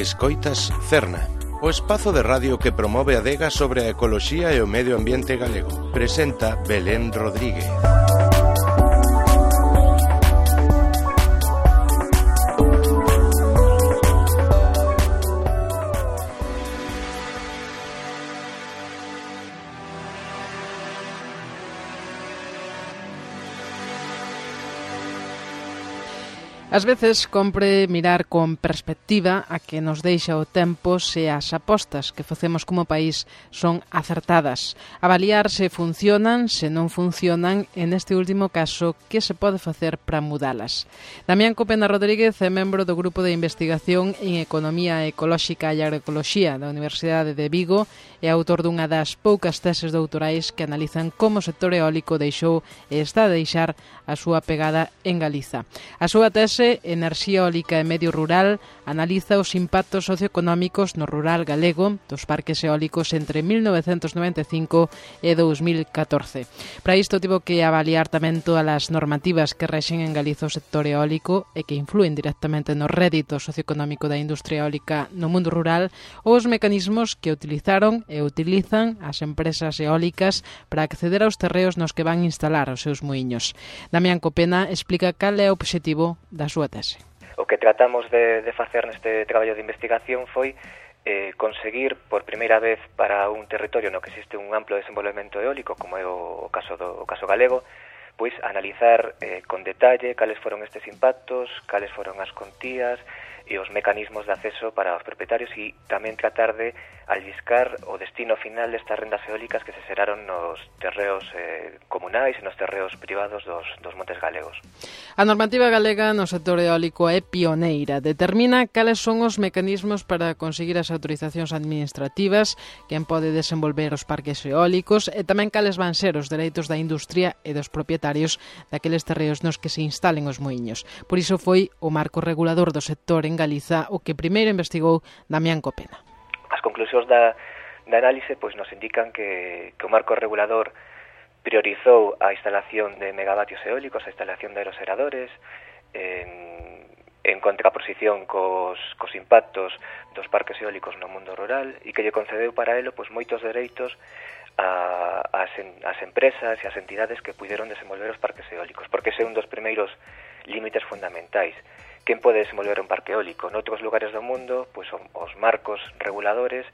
Escoitas Cerna, o espazo de radio que promove a adega sobre a ecoloxía e o medio ambiente galego. Presenta Belén Rodríguez. Ás veces compre mirar con perspectiva a que nos deixa o tempo se as apostas que facemos como país son acertadas. Avaliar se funcionan, se non funcionan, e neste último caso, que se pode facer para mudalas. Damián Copena Rodríguez é membro do Grupo de Investigación en Economía Ecolóxica e Agroecoloxía da Universidade de Vigo e autor dunha das poucas teses doutorais que analizan como o sector eólico deixou e está a deixar a súa pegada en Galiza. A súa tese Enerxía eólica e medio rural analiza os impactos socioeconómicos no rural galego dos parques eólicos entre 1995 e 2014. Para isto tivo que avaliar tamén todas as normativas que rexen en Galiza o sector eólico e que influen directamente no rédito socioeconómico da industria eólica no mundo rural ou os mecanismos que utilizaron e utilizan as empresas eólicas para acceder aos terreos nos que van instalar os seus muiños. Damián Copena explica cal é o obxectivo da súa tese. O que tratamos de facer neste traballo de investigación foi conseguir por primeira vez para un territorio no que existe un amplo desenvolvemento eólico, como é o caso galego, pois analizar con detalle cales foron estes impactos, cales foron as contías e os mecanismos de acceso para os propietarios e tamén tratar de alliscar o destino final destas rendas eólicas que se xeraron nos terreos comunais e nos terreos privados dos montes galegos. A normativa galega no sector eólico é pioneira. Determina cales son os mecanismos para conseguir as autorizacións administrativas, quen pode desenvolver os parques eólicos e tamén cales van ser os dereitos da industria e dos propietarios daqueles terreos nos que se instalen os muiños. Por iso foi o marco regulador do sector en Galiza o que primeiro investigou Damián Copena. As conclusións da análise pois nos indican que o marco regulador priorizou a instalación de megavatios eólicos, a instalación de aeroseradores, en contraposición cos impactos dos parques eólicos no mundo rural e que lle concedeu para elo pois moitos dereitos ás empresas e ás entidades que puideron desenvolver os parques eólicos, porque ese é un dos primeiros límites fundamentais. Quen pode desenvolver un parque eólico? Noutros lugares do mundo, pois os marcos reguladores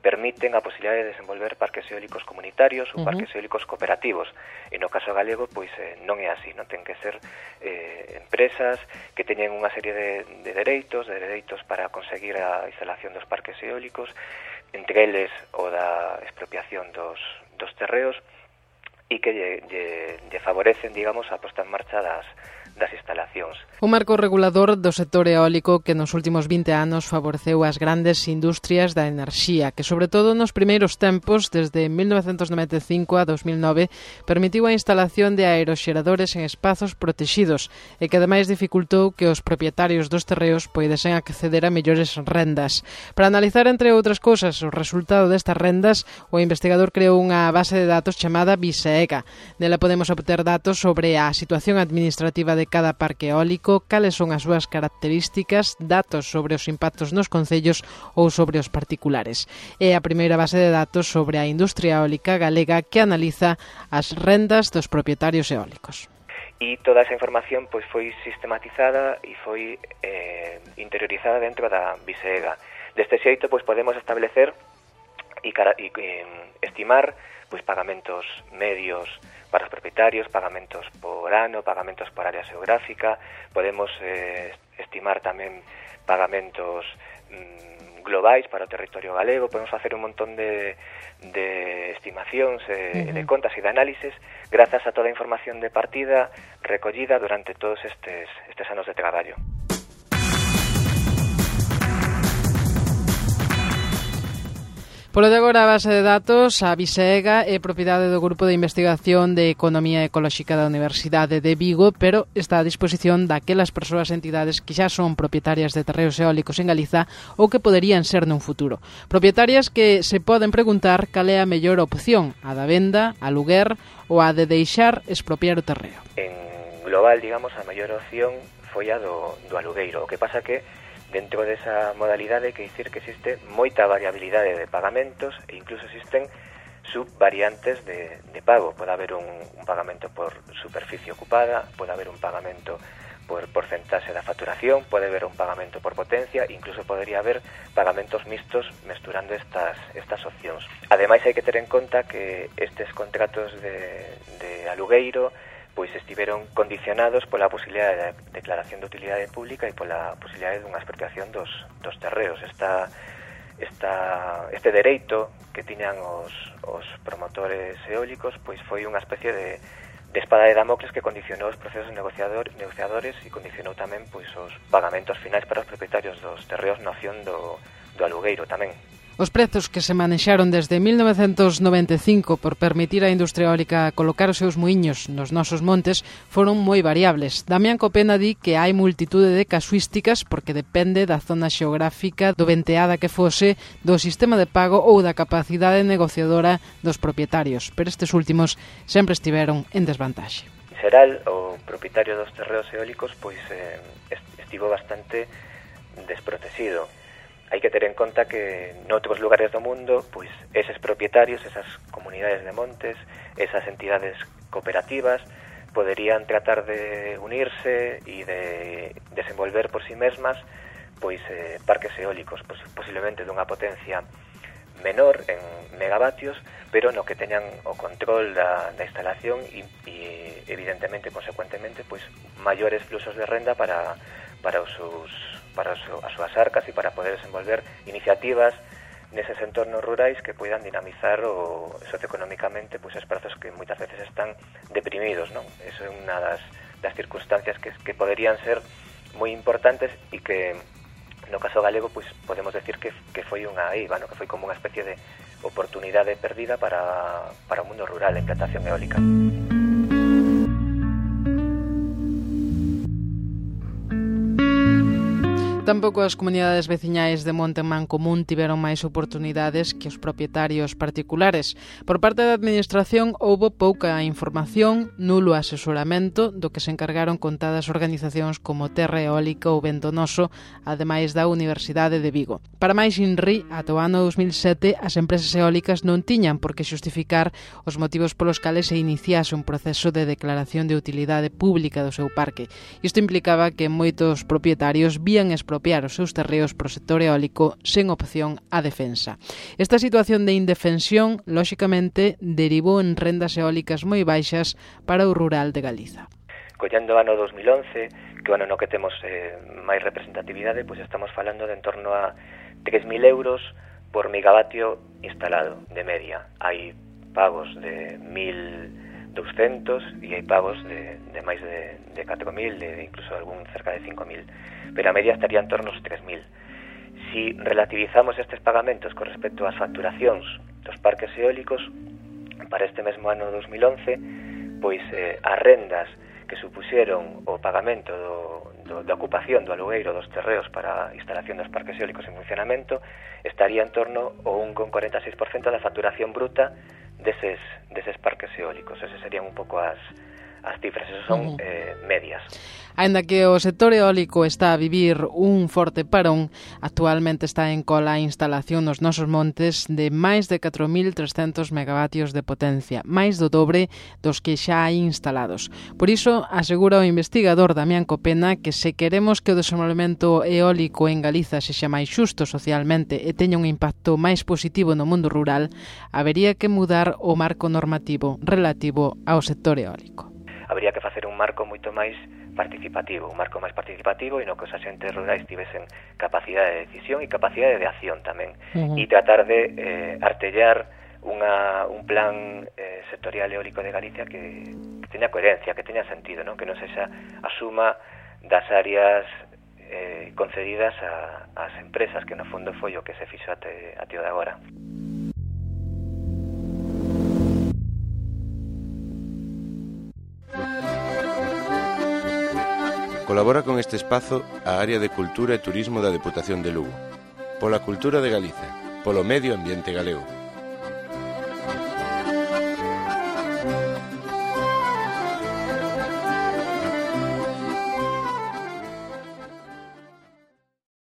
permiten a posibilidade de desenvolver parques eólicos comunitarios ou parques eólicos cooperativos. E no caso galego, pois non é así, non ten que ser empresas que teñen unha serie de dereitos para conseguir a instalación dos parques eólicos, entre eles o da expropiación dos terreos e que lle favorecen, digamos, a posta en marcha das instalacións. O marco regulador do sector eólico que nos últimos 20 anos favoreceu as grandes industrias da enerxía, que sobre todo nos primeiros tempos, desde 1995 a 2009, permitiu a instalación de aeroxeradores en espazos protexidos e que ademais dificultou que os propietarios dos terreos poidesen acceder a mellores rendas. Para analizar, entre outras cousas, o resultado destas rendas, o investigador creou unha base de datos chamada BISEEGA. Nela podemos obter datos sobre a situación administrativa de cada parque eólico, cales son as súas características, datos sobre os impactos nos concellos ou sobre os particulares. É a primeira base de datos sobre a industria eólica galega que analiza as rendas dos propietarios eólicos. E toda esa información pois foi sistematizada e foi interiorizada dentro da BISEEGA. Deste xeito pois podemos establecer e estimar pois pagamentos medios para os propietarios, pagamentos por ano, pagamentos por área xeográfica, podemos estimar tamén pagamentos globais para o territorio galego, podemos facer un montón de estimacións, de contas e de análises grazas a toda a información de partida recollida durante todos estes anos de traballo. Polo de agora, a base de datos, a BISEEGA, é propiedade do Grupo de Investigación de Economía Ecolóxica da Universidade de Vigo, pero está a disposición daquelas persoas e entidades que xa son propietarias de terreos eólicos en Galiza ou que poderían ser nun futuro. Propietarias que se poden preguntar cal é a mellor opción, a da venda, a aluguer ou a de deixar expropiar o terreo. En global, digamos, a mellor opción foi a do alugueiro. O que pasa que Dentro desa modalidade que dicir que existe moita variabilidade de pagamentos e incluso existen subvariantes de pago. Pode haber un pagamento por superficie ocupada, pode haber un pagamento por porcentaxe da facturación, pode haber un pagamento por potencia, incluso podría haber pagamentos mixtos mesturando estas opcións. Ademais, hai que ter en conta que estes contratos de alugueiro pois estiveron condicionados pola posibilidade de declaración de utilidade pública e pola posibilidade dunha expropiación dos terreos. Este dereito que tiñan os promotores eólicos pois foi unha especie de espada de Damocles que condicionou os procesos negociadores e condicionou tamén pois os pagamentos finais para os propietarios dos terreos na opción do alugueiro tamén. Os prezos que se manexaron desde 1995 por permitir á industria eólica colocar os seus muiños nos nosos montes foron moi variables. Damián Copena di que hai multitude de casuísticas porque depende da zona xeográfica, do venteada que fose, do sistema de pago ou da capacidade negociadora dos propietarios, pero estes últimos sempre estiveron en desvantaxe. En xeral, o propietario dos terreos eólicos pois estivo bastante desprotegido. Hai que ter en conta que noutros lugares do mundo, pois eses propietarios, esas comunidades de montes, esas entidades cooperativas, poderían tratar de unirse e de desenvolver por si mesmas pois parques eólicos, posiblemente dunha potencia menor en megavatios, pero no que teñan o control da instalación e evidentemente, consecuentemente, pois maiores fluxos de renda para as súas arcas e para poder desenvolver iniciativas neses entornos rurais que poidan dinamizar socioeconómicamente pois esprazos que moitas veces están deprimidos, non? Eso é unha das circunstancias que poderían ser moi importantes e que no caso galego pois podemos decir que foi unha eiva, que foi como unha especie de oportunidade perdida para o mundo rural, a implantación eólica. Tampouco as comunidades veciñais de Monte Mancomún tiveron máis oportunidades que os propietarios particulares. Por parte da administración houbo pouca información, nulo asesoramento, do que se encargaron contadas organizacións como Terra Eólica ou Ventonoso, ademais da Universidade de Vigo. Para máis INRI, ata o ano 2007, as empresas eólicas non tiñan por que xustificar os motivos polos cales se iniciase un proceso de declaración de utilidade pública do seu parque. Isto implicaba que moitos propietarios vían expropiar os seus terreos pro sector eólico sen opción á defensa. Esta situación de indefensión, lóxicamente, derivou en rendas eólicas moi baixas para o rural de Galiza. Collendo o ano 2011, que o ano no que temos máis representatividade, pois estamos falando de en torno a 3.000 euros por megavatio instalado, de media. Hai pagos de 1.200 e hai pagos de máis de 4.000, de incluso algún cerca de 5.000. Pero a media estaría en torno aos 3.000. Si relativizamos estes pagamentos con respecto ás facturacións dos parques eólicos, para este mesmo ano 2011, pois as rendas que supuxeron o pagamento da ocupación do alugueiro dos terreos para a instalación dos parques eólicos en funcionamento estaría en torno ao 1,46% da facturación bruta deses parques eólicos. Esas serían un pouco as cifras, esos son medias. Aínda que o sector eólico está a vivir un forte parón, actualmente está en cola a instalación nos nosos montes de máis de 4.300 megavatios de potencia, máis do dobre dos que xa hai instalados. Por iso, asegura o investigador Damián Copena que se queremos que o desenvolvemento eólico en Galiza sexa máis xusto socialmente e teña un impacto máis positivo no mundo rural, habería que mudar o marco normativo relativo ao sector eólico. Habría que facer un marco moito máis participativo, e no que os axentes rurais tivesen capacidade de decisión e capacidade de acción tamén, e tratar de artellar un plan sectorial eólico de Galicia que teña coherencia, que teña sentido, non? Que non sexa a suma das áreas concedidas ás empresas, que no fondo foi o que se fixo até o de agora. Colabora con este espazo a Área de Cultura e Turismo da Deputación de Lugo. Pola cultura de Galiza, polo medio ambiente galego.